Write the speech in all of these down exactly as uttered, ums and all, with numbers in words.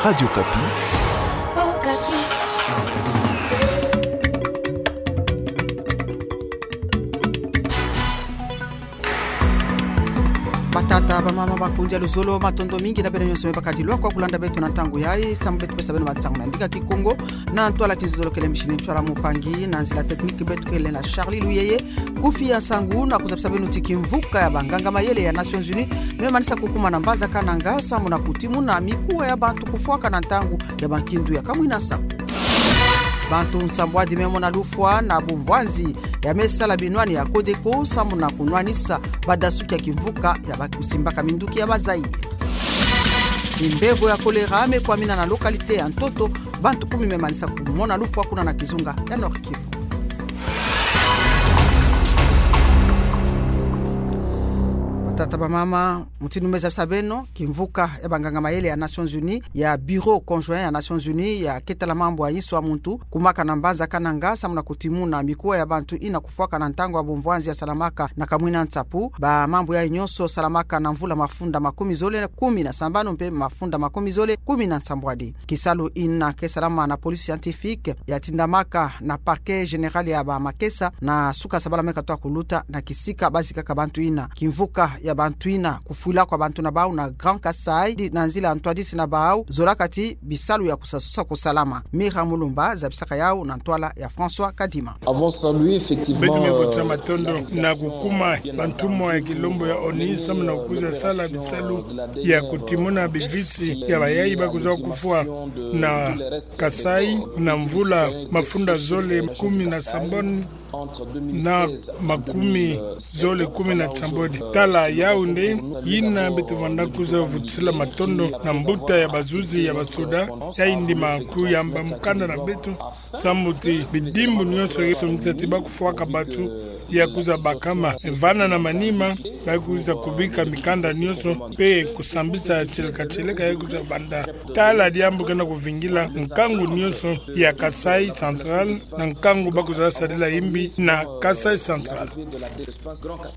Radio Okapi. Batata, bamama, bakundi ya luzolo, matondo mingi na beno nyonso me bakadilwa kwa kulanda beto na ntangu yayi. Samu beto pesa beno bansangu na ndinga Kikongo, na ntwala kizolokele, mishini ntwala mpangi, na nzila technique beto kele na Charlie Luyeye. Kufi ya nsangu na kuzabisa beno ti kimvuka ya banganga mayele ya Nations Unies me manisa kukuma na mbanza Kananga samu na kutimuna mikuwa ya bantu kufwaka na ntangu ya bankindu ya kamwina nsaku. Bantu nsambwadi me mona lufwa na bumvwanzi ya me sala binwani ya Codeco samu na kunwanisa badasuki ya kimvuka ya ba-, simbaka minduki ya ba Zaïre. Kimbevo ya choléra me kwamina na localité ya Ntoto, bantu kumi me manisa kumona lufwa kuna na kizunga ya Nord-Kivu. Batata, bamama, mutindu me zabisa beno, kimvuka ya banganga mayele ya Nations Unies, ya Bureau Conjoint ya Nations Unies ya ke tala mambu ya inso ya muntu, kumaka na mbanza Kananga samu na kutimuna mikuwa ya bantu ina kufwaka na ntangu ya bumvwanzi ya salamaka na kamwina nsaku. Bamambu yayi nyonso salamaka na mvula mafunda makumi zole kumi na sambanu mpe mafunda makumi zole kumi na nsambwadi. Kisalu ina ke salama na police scientifique ya tindamaka na parquet général ya Bamakesa, na suka sabala me katoa kuluta na kisika bazikaka bantu ina. Kimvuka ya bantu ina, kufwila kwa bantu na bau na Grand Kasaï, di-, na nzila ntwadisi na bau, zolaka ti bisalu ya kusasosa kusalama. Mira Mulumba zabisaka yau na ntwala ya François Kadima. Beto me vutisa matondo na kukuma bantumwa ya kilombo ya ONU samu na kukwiza sala bisalu ya kutimuna bivisi ya bayayi ba kwiza kufwa na Kasaï na mvula mafunda zole kumi na sambanu na makumi zole kumi na nsambwadi. Tala yau nde ina beto vanda kwiza vutisila matondo na mbuta ya bazuzi ya basoda, yayi ndima kuyamba mukanda na beto, samu ti bidimbu nyonso yeso misa ti ba kufwaka bantu ya kwiza bakama, vana na manima, ba kwiza kubika mikanda nyonso, mpe kusambisa tieleka tieleka ya kwiza banda. Tala diambu ke na kuvingila nkangu nyonso ya Kasaï Central, na nkangu ba kwiza sadila imbi na Kasaï Central.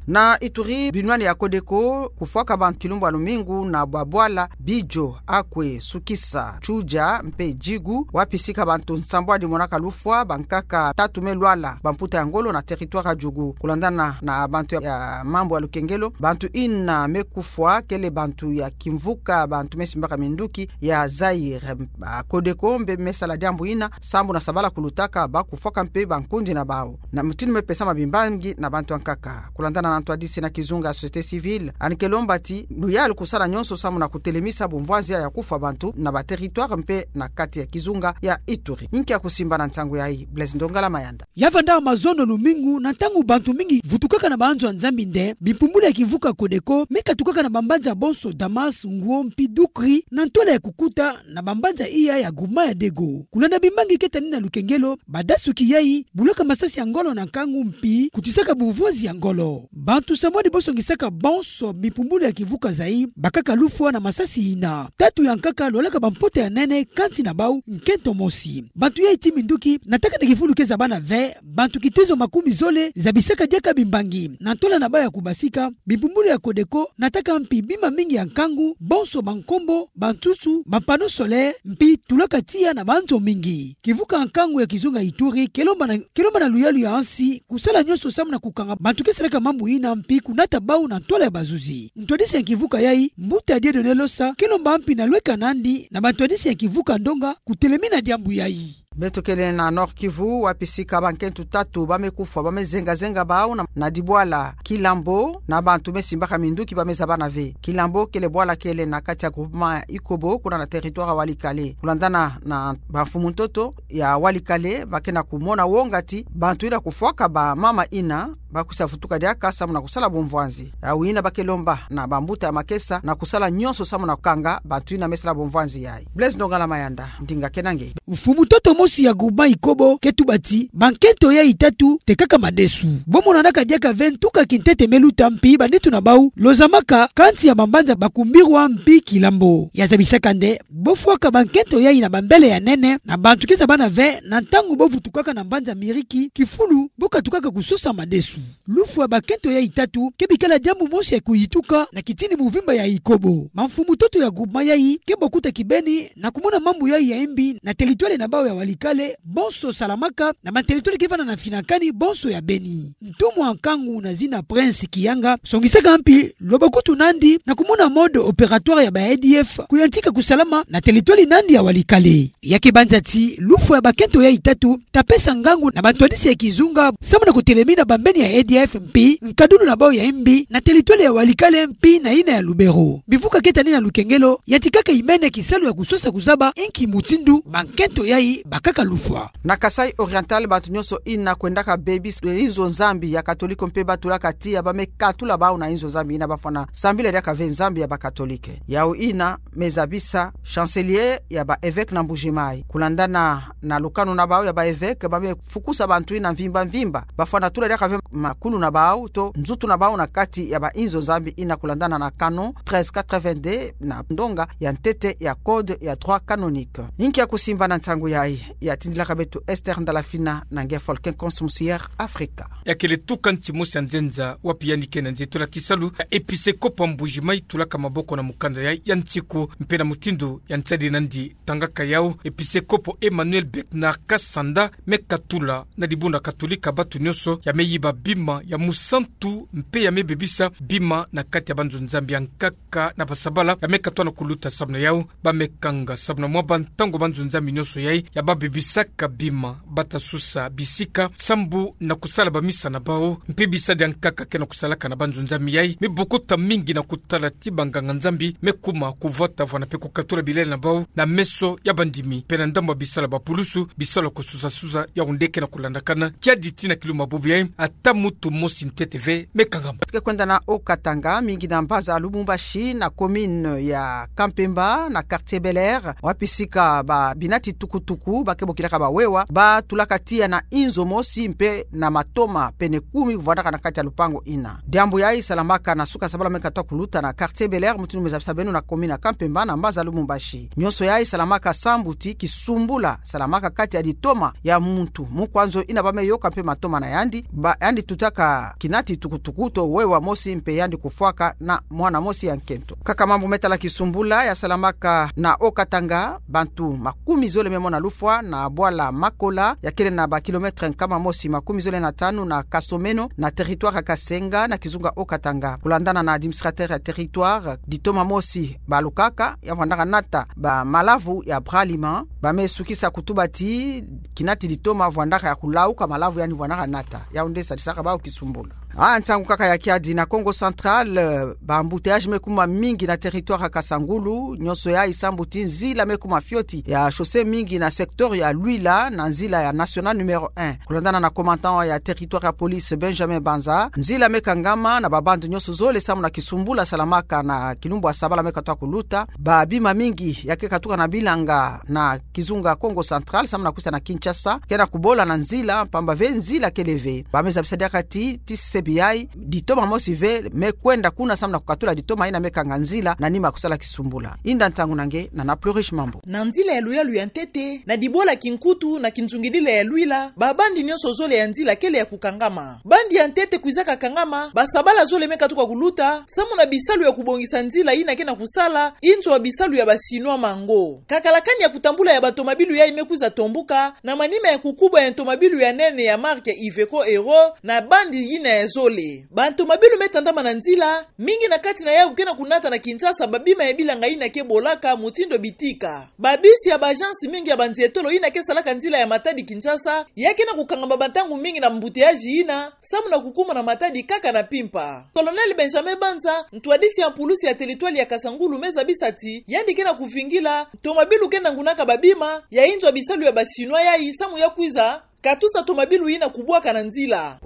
Na Ituri, binwani ya Codeco kufwaka bantu kilumbu ya lumingu na bwa bwala Bidjo, Akwe, Sukisa, Tsudja mpe Djigu, wapi sika bantu nsambwadi monaka lufwa, bankaka tatu me lwala, bamputa ya ngolo na territoire ya Djugu. Kulandana na bantu ya, ya mambu ya lukengelo, bantu ina me kufwa kele bantu ya kimvuka bantu me simbaka minduki ya Zaïre. Ba Codeco mpe me sala diambu ina, sambu na sabala kulutaka ba kufwaka mpe bankundi na bau. Na mutindu me pesama bimbangi na bantu ankaka. Kulandana na ntwadisi na kizunga ya société civile, yandi ke lomba ti luyalu kusala nyonso samu na kutelemisa bumvwanzi ya kufwa bantu na ba territoire mpe na kati ya kizunga ya Ituri. Inki ya kusimba na nsangu yayi? Blaise Ndongala Mayanda. Ya vanda mazono lumingu, na ntangu bantu mingi vutukaka na banzo ya Nzambi nde bimpumbulu ya kimvuka Codeco me katukaka na bambanza bonso Damas, Ngwo mpe Doukri, na ntwala ya kukuta na bambanza iya ya groupement ya Dego. Kulanda bimbangi ke tani na lukengelo, badasuki yayi bulaka masasi ya ngolo na nkangu mpe kutisaka bumvwanzi ya ngolo. Bantu nsambwadi bonso ngisaka bonso bimpumbulu ya kimvuka yayi bakaka lufwa na masasi ina. Tatu ya nkaka lwalaka bamputa ya nene, kansi na bau nkento mosi. Bantu yayi ti minduki, nataka na kifulu ke zabana ve, bantu kitezo makumi zole zabisaka diaka bimbangi. Na ntwala na bau ya kubasika, bimpumbulu ya Codeco nataka mpe bima mingi ya nkangu, bonso bankombo, bansusu, ba panneau solaire, mpe tulaka tiya na banzo mingi. Kimvuka nkangu ya kizunga Ituri ke lomba na, ke lomba na luyalu ya ansi kusala nyonso samu na kukanga bantu ke salaka mambu ina mpe kunata bau na ntwala ya bazuzi. Ntwadisi ya kimvuka yayi, mbuta Dieudonné Losa, ke lomba mpe na lweka nandi na bantwadisi ya kimvuka ndonga kutelemina diambu yayi. Beto kele na Nord-Kivu, wapi sika bankento tatu ba me kufwa, ba me zenga zenga bau na, na dibwala Kilambo, na bantu me simbaka minduki ba me zabana ve. Kilambo kele bwala kele na kati ya groupement Ikobo, kuna na territoire ya Walikale. Kulandana na bamfumu ntoto ya Walikale, ba ke na kumona wonga ti bantu ina kufwaka bamama ina, ba kwisa vutuka diaka samu na kusala bumvwanzi. Yau ina ba ke lomba na bambuta ya makesa na kusala nyonso samu na kukanga bantu ina me sala bumvwanzi yayi. Blaise Ndongala Mayanda, ndinga ke na nge. Mfumu ntoto mosi ya groupement Ikobo ke tuba ti bankento yayi tatu tekaka madesu. Bo monanaka diaka ve ntuka kintete me luta mpe banitu na bau lozamaka kati ya bambanza Bakumbirwa mpe Kilambo. Ya zabisaka nde bo fwaka bankento yayi na bambele ya nene na bantu ke zabana ve, na ntangu bo vutukaka na mbanza Miriki, kifulu bo katukaka kusosa madesu. Lufwa ya bakento yai tatu ke bikala diambu mosi ya kuyituka na kitini muvimba ya Ikobo. Mamfumu-ntoto ya groupement yai ke bokuta kibeni na kumona mambu yai ya mbi na teritwale na bawu ya Walikale, bonso Salamaka, na materitwale ke vanda na finakani bonso ya beni. Ntumwa nkangu na zina Prince Kiyanga songisaka mpi lwa bakutu nandi na kumona mode opératoire ya ba A D F kuyantika kusalama na teritwale nandi ya Walikale. Ya ke banza ti lufwa ya bakento yai tatu ta pesa ngangu na bantwadisi ya kizunga samu na kutelemina bambeni ya A D F mpi nkadulu na bawu ya mbi na teritwale ya Walikale mpi na yina ya Lubero. Bivuka ke tani na lukengelo, yantikaka imene kisalu ya kusosa kuzaba inki mutindu bankento yai bakaka lufwa. Na Kasaï Oriental, bantu nyonso yina kwendaka bebisa inzo Nzambi ya Katoliko mpe ba tulaka tiya ba me katula bawu na inzo Nzambi yina ba fwana sambila diaka ve Nzambi ya ba Katolike. Yawu yina me zabisa chancelier ya ba évêque na Mbuji-Mayi. Kulandana na lukanu na bawu ya ba évêque, ba me fukusa bantu yina mvimba mvimba ba fwana tula diaka ve makulu na bawu to nzutu na bawu na kati ya ba inzo Nzambi yina kulandana na canon treize quatre-vingt-deux na ndonga ya ntete ya code ya droit canonique. Inki ya kusimba na nsangu yai, ya tindilaka beto Esther Ndalafina na nge Volcan Conscience Africa. Ya kele tuka nti mosi ya nzenza wapi yandi ke na nzitula kisalu ya episekopo ya Mbuji-Mayi tulaka maboko na mukanda yai ya nsiku mpe na mutindu ya nsadi nandi tangaka yawu, episekopo Emmanuel Bernard Kasanda me katula na dibundu ya Katolika bantu nyonso ya me yiba bima ya musantu mpe ya me bebisa bima na kati ya banzo Nzambi ya nkaka na basabala ya me katula na kuluta. Samu na yawu, ba me kanga samu na mwa bantangu banzo Nzambi nyonso yai ya ba bebisaka bima ba ta susa bisika sambu na kusala bamisa na bawu mpe bisadi ya nkaka ke na kusalaka na banzo Nzambi yai me bokuta mingi na kutala ti banganga Nzambi me kuma kuvwata vwana mpe kukatula bilele na bawu na meso ya bandimi mpe na ndambu ya bisalu ya bapulusu, bisalu ya kususa-susa yawu nde ke na kulandakana kiadi ti na kilumbu ya bubu yai, ata mutu mosi ntete ve me kangama. Ke kwenda na Haut-Katanga, mingi na mbaza ya Lubumbashi, na commune ya Kampemba, na quartier Bel Air, wapi sika ba binati tukutuku ba ke bokilaka ba wewa ba tulaka tiya na inzo mosi mpe na matoma pene kumi vwandaka na kati ya lupangu yina. Diambu yai salamaka na suka sabala me katula kuluta na quartier Bel Air, mutindu me zabisa beno, na commune ya Kampemba, na mbaza ya Lubumbashi. Nyonso yai salamaka sambu ti kisumbula salamaka kati ya ditoma ya muntu. Mukwa nzo yina ba me yoka mpe matoma na yandi, ba yandi tutaka kinati tukutuku to wewa mosi mpe yandi kufwaka na mwana mosi ya nkento. Kaka mambu me tala kisumbula ya salamaka na Haut-Katanga, bantu makumi zole me mona lufwa na bwala Makola ya kele na ba kilomètre nkama mosi makumi zole na tanu na Kasomeno, na territoire ya Kasenga, na kizunga Haut-Katanga. Kulandana na administrateur ya territoire, ditoma mosi balukaka ya vwandaka nata ba malavu ya Bralima, ba me sukisa kutuba ti kinati ditoma vwandaka ya kulauka, malavu yandi vwandaka nata. Yawu nde sadisaka bawu kisumbula. Ah, nsangu kaka ya kiadi na Kongo Central, eh, ba embouteillage me kuma mingi na territoire ya Kasangulu, nyonso yai sambu ti nzila me kuma fioti ya chaussée mingi na secteur ya Luila na nzila ya nationale numéro un. Kulandana na commandant ya territoire ya police Benjamin Banza, nzila me kangama na ba bande nyonso zole samu na kisumbula salamaka na kilumbu ya sabala me katula kuluta. Ba bima mingi ya ke katuka na bilanga na kizunga Kongo Central samu na kwisa na Kinshasa ke na kubola na nzila, pamba ve nzila kele ve. Ba me zabisa diaka ti, ti sebi yai, ditoma mosi ve me kwenda kuna samu na kukatula ditoma yina me kanga nzila na nima ya kusala kisumbula. Inda nsangu na nge na Nana Plurish Mambu. Na nzila ya luyalu ya ntete, na dibwala Kinkutu, na kinzungidila ya Luila, ba bande nyonso zole ya nzila kele ya kukangama. Bande ya ntete kwizaka kangama, ba sabala zole me katuka kuluta samu na bisalu ya kubongisa nzila yina ke na kusala inzo ya bisalu ya ba Chinois Mango. Kakalakani ya kutambula ya batomabilu yai me kwiza tombuka na manima ya kukubwa ya ntomabilu ya nene ya marque Iveco Euro na bande yina ya zole. Bantomabilu me tandama na nzila, mingi na kati na yawu ke na kunata na Kinshasa ba bima ya bilanga yina ke bolaka mutindu bitika. Ba bus ya ba agence mingi ya banzietolo yina ke salaka nzila ya Matadi-Kinshasa ya ke na kukangama bantangu mingi na embouteillage yina, samu na kukumuna Matadi kaka na mpimpa. Colonel Benjamin Banza, ntwadisi ya pulusi ya territoire ya Kasangulu, me zabisa ti yandi ke na kuvingila ntomabilu ke nangunaka ba bima ya inzo ya bisalu ya ba Chinois yai samu ya kwiza katusa tomabilu yina kubwaka na nzila.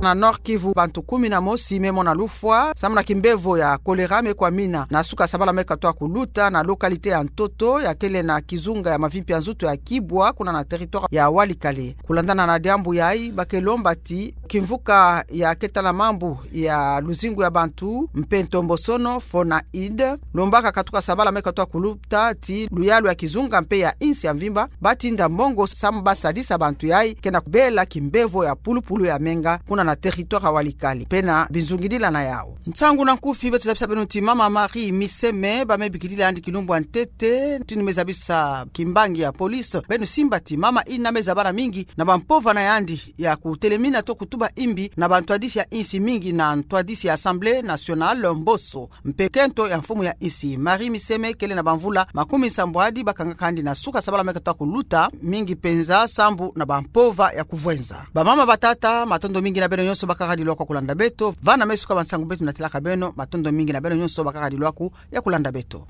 Na Nord-Kivu, bantu kumi na mosi me mona lufwa samu na kimbevo ya choléra me kwa mina na suka sabala me katoa kuluta na localité ya Ntoto, ya kele na kizunga ya mavimpi ya nzutu ya Kibwa, kuna na territoire ya Walikale. Kulandana na diambu yayi, ba ke lomba ti kimvuka ya ketala mambu ya luzingu ya bantu mpe ntombosono, FONAID, lombaka katuka sabala me katoa kuluta ti luyalu ya kizunga mpe ya insi ya mvimba ba tinda mongo samu ba sadisa bantu yayi ke na kubela kimbevo ya pulupulu ya menga, kuna na territoire ya Walikale mpe na binzungidila na yawu. Nsangu na nkufi beto zabisa beno ti mama Marie Miseme, ba me bikilila yandi kilumbu ya ntete, tini me zabisa kimbangi ya police, beno simba ti mama ina me zabana mingi na bampova na yandi ya kutelemina to kutuba imbi na bantwadisi ya insi mingi na ntwadisi ya Assemblée nationale, mboso mpe kento ya mfumu ya insi. Marie Miseme kele na bamvula makumi nsambwadi, ba kangaka yandi na suka sabala me katoa kuluta, mingi penza sambu na bampova ya kuvwenza. Bamama, batata, matondo mingi na beno nyonso ba kaka dilwaku ya kulanda beto. Vana me suka ba nsangu beto natalaka beno, matondo mingi na beno nyonso ba kaka dilwaku ya kulanda beto.